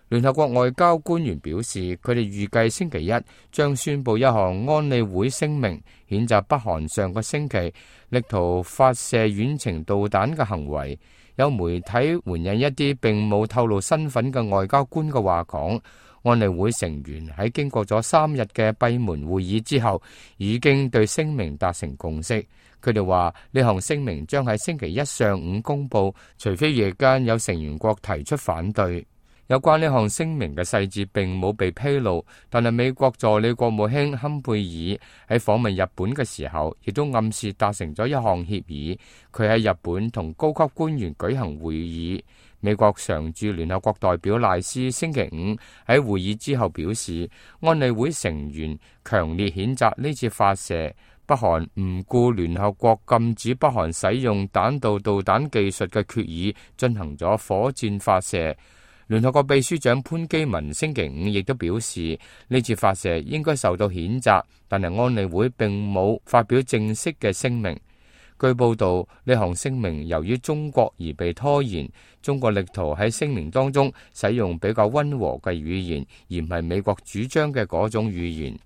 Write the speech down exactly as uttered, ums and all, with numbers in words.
聯合國外交官員表示，佢哋預計星期一將宣布一項安理會聲明，譴責北韓上個星期力圖發射遠程導彈嘅行為。有媒體援引一啲並冇透露身份嘅外交官嘅話講，安理會成員喺經過咗三日嘅閉門會議之後，已經對聲明達成共識。佢哋話呢項聲明將喺星期一上午公佈，除非夜間有成員國提出反對。有關呢項聲明嘅細節並冇被披露，但係美國助理國務卿坎貝爾喺訪問日本嘅時候，亦都暗示達成咗一項協議。佢喺日本同高級官員舉行會議。美國常駐聯合國代表賴斯星期五喺會議之後表示，安理會成員強烈譴責呢次發射。北韓唔顧聯合國禁止北韓使用彈道導彈技術嘅決議，進行咗火箭發射。聯合國秘書長潘基文星期五亦都表示，呢次發射應該受到譴責，但係安理會並冇發表正式嘅聲明。據報道，呢項聲明由於中國而被拖延。中國力圖喺聲明當中使用比較溫和嘅語言，而唔係美國主張嘅嗰種語言。